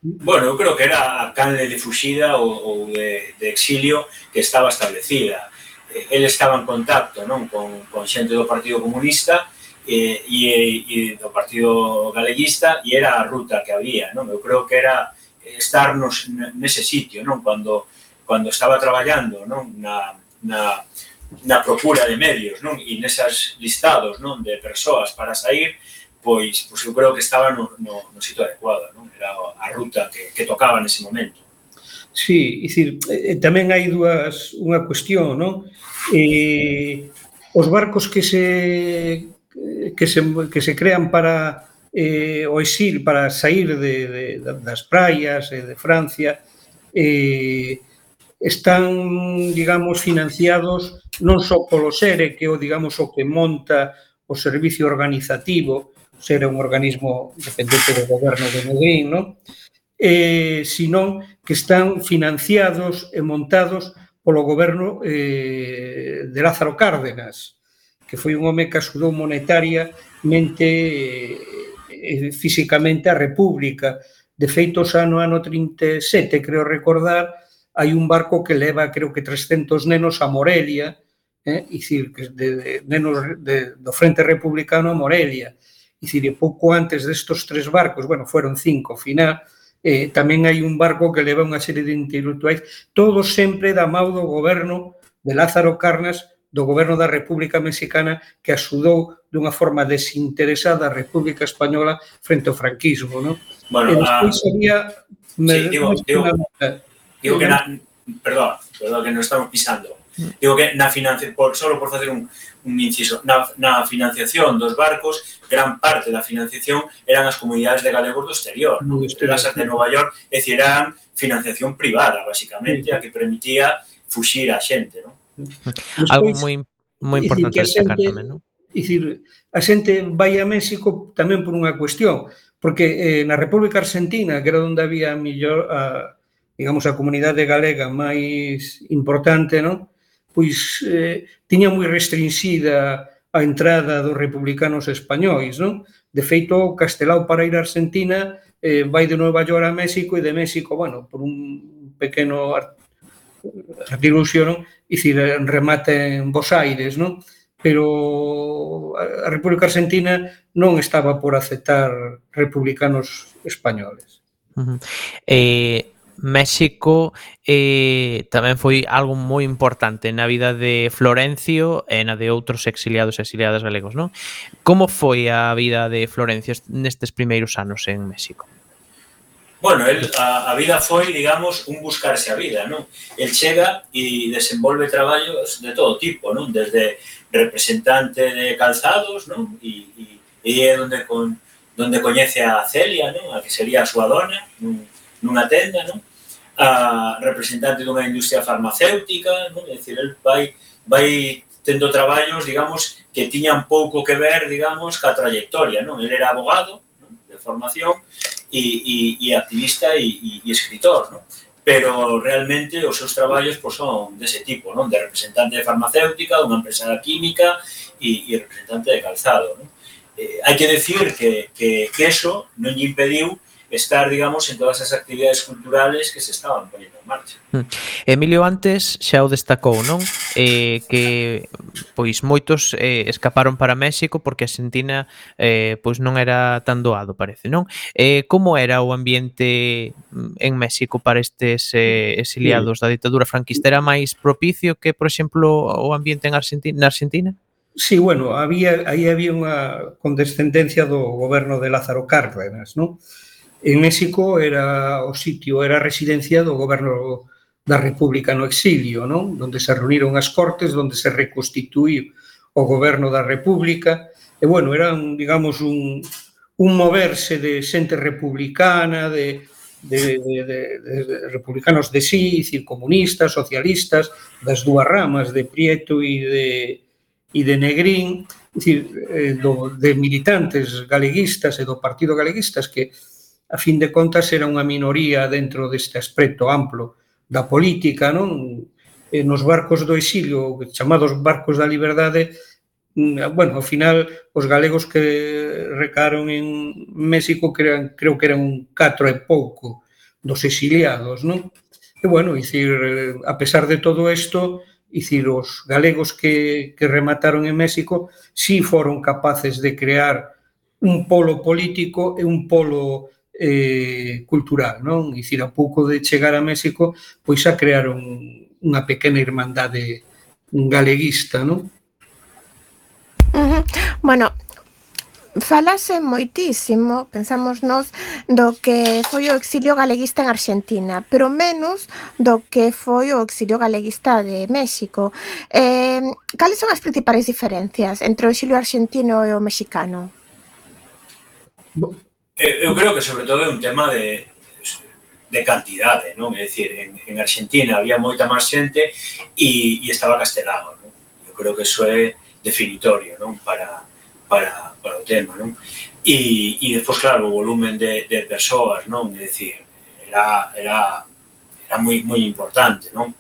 Bueno, eu creo que era a canle de fuxida ou, ou de, de exilio que estaba establecida. Ele estaba en contacto, non, con, con xente do Partido Comunista e, e, e do Partido Galeguista, e era a ruta que había, non? Eu creo que era estar nos, nese sitio, non? Cando, cando estaba traballando, non? Na, na, na procura de medios, non? E nesas listados, non? De persoas para sair, pois, pois eu creo que estaba no, no, no sitio adecuado, non? Era a ruta que, que tocaba nese momento. Sí, dicir, eh, tamén hai dúas, unha cuestión, non? Eh, os barcos que se que se, que se crean para eh, o exil, para sair de, de, das praias e de Francia, eh, están, digamos, financiados non só polo SERE, que é o, digamos, o que monta o servicio organizativo, o SERE é un organismo dependente do goberno de Negrín, non? Eh, sino que están financiados e montados polo goberno eh, de Lázaro Cárdenas, que foi un home que axudou monetariamente e eh, físicamente a República. De feito, xa no ano trinta e sete, creo recordar, hai un barco que leva, creo que trescentos nenos a Morelia, eh, e dicir, que de, de nenos de, do Frente Republicano a Morelia. E dicir, e pouco antes destos tres barcos, bueno, foron cinco, ao final, eh, tamén hai un barco que leva unha serie de intelectuais, todos sempre da mão do goberno de Lázaro Cárdenas, do goberno da República Mexicana, que axudou dunha forma desinteresada a República Española frente ao franquismo, non? Bueno, e despois a... había... Me, sí, digo, digo, digo que na... Perdón, perdón, que nos estamos pisando. Digo que na financiación, por, solo por facer un, un inciso, na, na financiación dos barcos, gran parte da financiación eran as comunidades de galegos do exterior, non? As de Nova York, é dicir, eran financiación privada, basicamente, a que permitía fuxir a xente, non? Despois, algo moi moi importante destacar tamén, non? É dicir, a xente vai a México tamén por unha cuestión, porque eh, na República Argentina, que era onde había millor a, digamos, a comunidade galega máis importante, non? Pois eh, tiña moi restringida a entrada dos republicanos españois, non? De feito, Castelao para ir a Argentina eh, vai de Nova York a México e de México, bueno, por un pequeno artiluxio, non? E dicir, remata en Buenos Aires, non? Pero a República Argentina non estaba por aceptar republicanos españoles. Uh-huh. Eh, México eh, tamén foi algo moi importante na vida de Florencio e na de outros exiliados e exiliadas galegos, non? Como foi a vida de Florencio nestes primeiros anos en México? Bueno, el, a, a vida foi, digamos, un buscarse a vida, non? El chega e desenvolve traballos de todo tipo, non? Desde representante de calzados, non? E, e, e é onde, con, onde coñece a Celia, non? A que sería a súa dona, nun, nunha tenda, non? A representante dunha industria farmacéutica, non? É dicir, el vai, vai tendo traballos, digamos, que tiñan pouco que ver, digamos, ca trayectoria, non? El era abogado, non? De formación, E, e, e activista e, e, e escritor, ¿no? Pero realmente os seus traballos pues, son dese tipo, ¿no? De representante de farmacéutica, dunha empresa química e, e representante de calzado, ¿no? Eh, hai que decir que, que, que eso non lle impediu estar, digamos, en todas as actividades culturales que se estaban poniendo en marcha. Emilio antes xa o destacou, non? Eh, que pois moitos eh, escaparon para México porque a Argentina eh, pois non era tan doado, parece, non? Eh, como era o ambiente en México para estes eh, exiliados da ditadura franquista? Era máis propicio que, por exemplo, o ambiente en Argentina, na Argentina? Sí, bueno, había, aí había unha condescendencia do goberno de Lázaro Cárdenas, non? En México era o sitio, era a residencia do goberno da República no exilio, non? Donde se reuniron as Cortes, donde se reconstituíu o goberno da República, e, bueno, era, un, digamos, un, un moverse de xente republicana, de, de, de, de, de republicanos de sí, dicir, comunistas, socialistas, das dúas ramas, de Prieto e de, e de Negrín, dicir, do, de militantes galeguistas e do Partido Galeguistas que a fin de contas era unha minoría dentro deste aspecto amplo da política, non? E nos barcos do exilio, chamados barcos da liberdade, bueno, ao final, os galegos que recaron en México, creo que eran un catro e pouco, dos exiliados, non? E, bueno, dicir, a pesar de todo isto, dicir, os galegos que, que remataron en México sí foron capaces de crear un polo político e un polo eh, cultural, non? Dicir, a pouco de chegar a México, pois xa crearon unha pequena irmandade galeguista, non? Uh-huh. Bueno, falase moitísimo, pensamos nós, do que foi o exilio galeguista en Argentina, pero menos do que foi o exilio galeguista de México. Eh, cales son as principais diferencias entre o exilio argentino e o mexicano? Eu creo que sobre todo é un tema de, de cantidade, non? É dicir, en, en Argentina había moita máis xente e, e estaba castelado, non? Eu creo que iso é definitorio, non? Para, para, para o tema, non? E, e despois, claro, o volumen de, de persoas, non? É dicir, era, era, era moi, moi importante, non?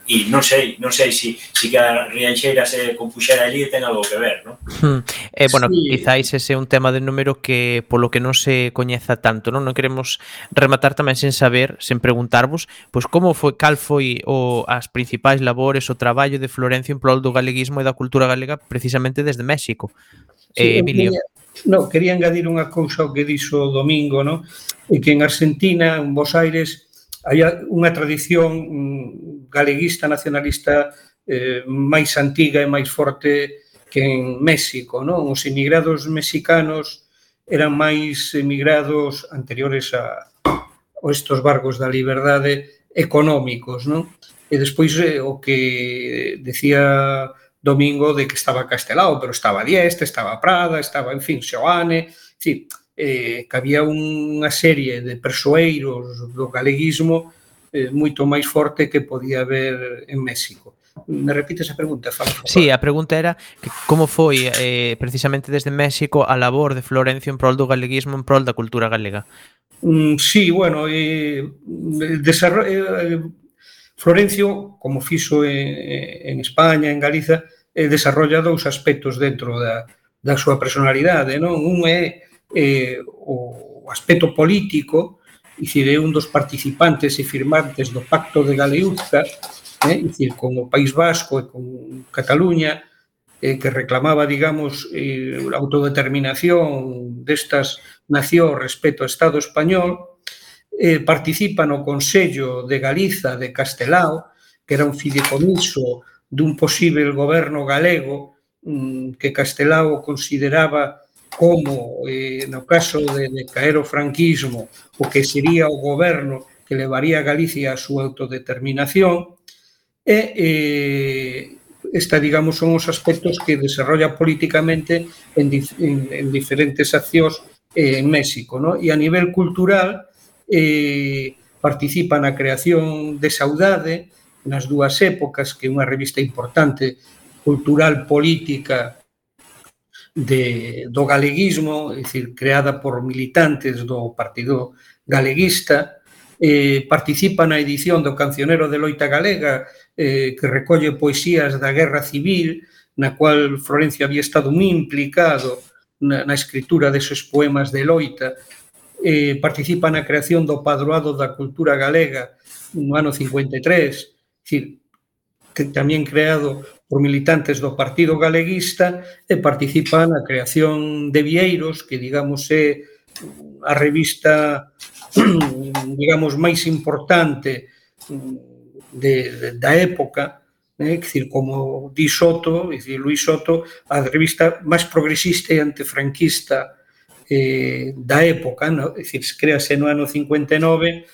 E non sei, non sei se si, si que a Rianxeira se compuxera ali ten algo que ver, non? Hmm. Eh, bueno, Sí. quizáis ese é un tema de número que polo que non se coñeza tanto, non? Non queremos rematar tamén sen saber, sen preguntarvos, pois como foi, cal foi o as principais labores, o traballo de Florencio en prol do galeguismo e da cultura galega precisamente desde México. Sí, Eh, Emilio. quería, no, quería engadir unha cousa ao que dixo o Domingo, no? E que en Argentina, en Buenos Aires, hai unha tradición galeguista, nacionalista eh, máis antiga e máis forte que en México, non? Os emigrados mexicanos eran máis emigrados anteriores a, a estos barcos da liberdade económicos, non? E despois eh, o que decía Domingo de que estaba Castelao, pero estaba Dieste, estaba Prada, estaba, en fin, Seoane, en fin, eh, que había unha serie de persoeiros do galeguismo eh, moito máis forte que podía haber en México. Me repites a pregunta, Fala? Sí, a pregunta era que como foi eh, precisamente desde México a labor de Florencio en prol do galeguismo, en prol da cultura galega. Mm, sí, bueno, eh, desarrollo, eh, Florencio, como fixo en, en España, en Galiza, eh, desarrolla dous aspectos dentro da, da súa personalidade, non? Un é eh, o aspecto político, dicir, é un dos participantes e firmantes do Pacto de Galeuzca, eh, dicir, con o País Vasco e con Cataluña, eh, que reclamaba, digamos, eh, a autodeterminación destas nacións respecto ao Estado español, eh, participa no Consello de Galiza de Castelao, que era un fideicomiso dun posible goberno galego mmm, que Castelao consideraba como, eh, no caso de, de caer o franquismo, o que sería o goberno que levaría a Galicia a súa autodeterminación, e eh, esta, digamos, son os aspectos que desarrolla políticamente en, en, en diferentes accións eh, en México, ¿no? E a nivel cultural eh, participa na creación de Saudade nas dúas épocas, que é unha revista importante cultural, política de, do galeguismo, é dicir, creada por militantes do Partido Galeguista. Eh, participa na edición do Cancionero de Loita Galega, eh, que recolle poesías da Guerra Civil, na cual Florencio había estado moi implicado na, na escritura deses poemas de loita. Eh, participa na creación do Padroado da Cultura Galega no ano cincuenta e tres, dicir, que tamén creado por militantes do Partido Galeguista, e participa na creación de Vieiros, que, digamos, é a revista, digamos, máis importante de, de, da época, é dicir, como di Soto, é dicir, Luis Soto, a revista máis progresista e antifranquista eh, da época, no? É dicir, créase no ano cincuenta e nove,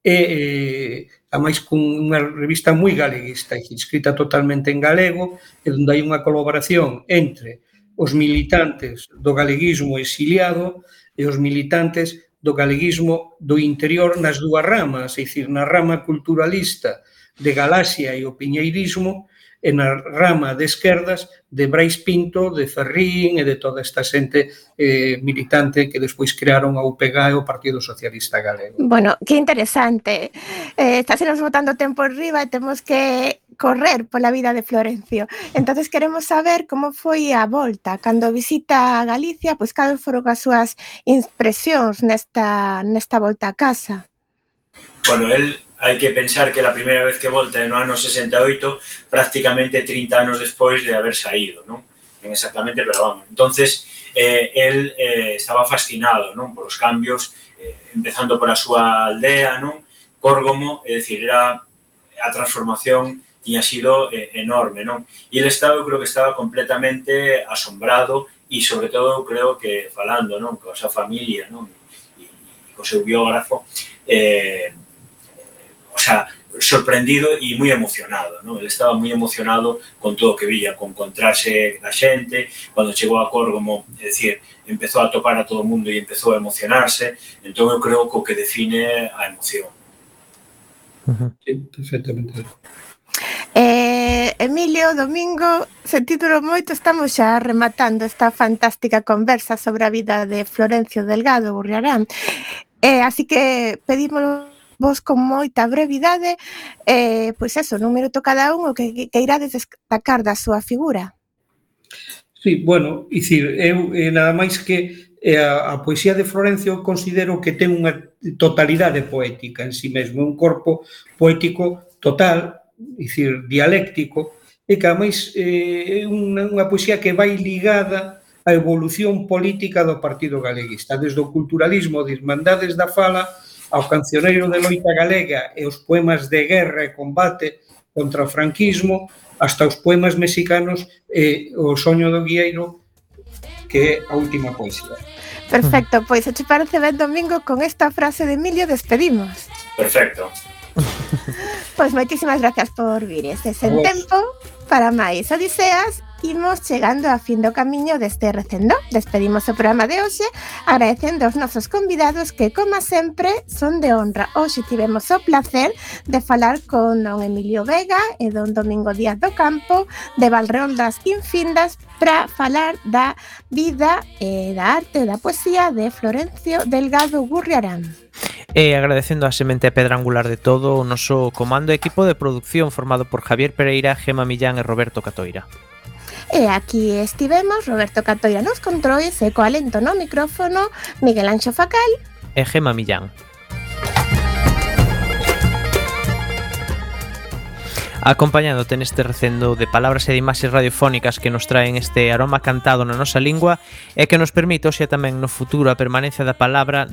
e eh, a máis con unha revista moi galeguista, escrita totalmente en galego, e onde hai unha colaboración entre os militantes do galeguismo exiliado e os militantes do galeguismo do interior nas dúas ramas, é dicir, na rama culturalista de Galaxia e o piñeirismo, e na rama de esquerdas de Brais Pinto, de Ferrín e de toda esta xente eh, militante que despois crearon a U P G e o Partido Socialista Galego. Bueno, que interesante. Eh, está se nos botando tempo arriba e temos que correr pola vida de Florencio. Entonces queremos saber como foi a volta. Cando visita a Galicia, pois cal foron as súas impresións nesta, nesta volta a casa? Bueno, el hai que pensar que a primeira vez que volta é no ano sesenta e oito, prácticamente trinta anos despois de haber saído, non? Non exactamente, pero vamos. Entonces, eh, el eh, estaba fascinado, non? Por os cambios, eh, empezando por a súa aldea, non? Córgomo, é dicir, era a transformación tiña sido eh, enorme, non? E el estaba, eu creo que estaba completamente asombrado e, sobre todo, eu creo que falando, non? Coa súa familia, non? E, e co seu biógrafo, eh, o sea, sorprendido e moi emocionado, non? Ele estaba moi emocionado con todo o que vía, con encontrarse a xente, cando chegou a Córgomo, é dicir, empezou a topar a todo o mundo e empezou a emocionarse, entón eu creo que o que define a emoción. Sí, perfectamente. Eh, Emilio, Domingo, sentídolo moito, estamos xa rematando esta fantástica conversa sobre a vida de Florencio Delgado Gurriarán. Eh, así que pedímolo vos con moita brevidade, eh, pois eso, nun minuto cada un, o que, que irades destacar da súa figura. Sí, bueno, dicir, eu eh, nada máis que eh, a, a poesía de Florencio considero que ten unha totalidade poética en si mesmo, un corpo poético total, dicir, dialéctico, e que ademais é eh, unha, unha poesía que vai ligada á evolución política do Partido Galeguista, desde o culturalismo de Irmandades da Fala ao cancioneiro de loita galega e os poemas de guerra e combate contra o franquismo, hasta os poemas mexicanos e o soño do guieiro, que é a última poesía. Perfecto, pois se te parece ben, Domingo, con esta frase de Emilio despedimos. Perfecto. Pois moitísimas gracias por vir. Este sen tempo para máis Odiseas. Imos chegando a fin do camiño deste recendo. Despedimos o programa de hoxe agradecendo aos nosos convidados que, como sempre, son de honra. Hoxe tivemos o placer de falar con don Emilio Vega e don Domingo Díaz do Campo de Valreoldas Infindas para falar da vida e da arte e da poesía de Florencio Delgado Gurriarán. E agradecendo a semente e pedra angular de todo o noso comando e equipo de producción formado por Javier Pereira, Gema Millán e Roberto Catoira. E aquí estivemos, Roberto Catoira nos controis e co alento no micrófono, Miguel Anxo Facal e Gema Millán. Acompañándote neste recendo de palabras e de imaxes radiofónicas que nos traen este aroma cantado na nosa lingua e que nos permite, xa tamén no futuro, a permanencia da palabra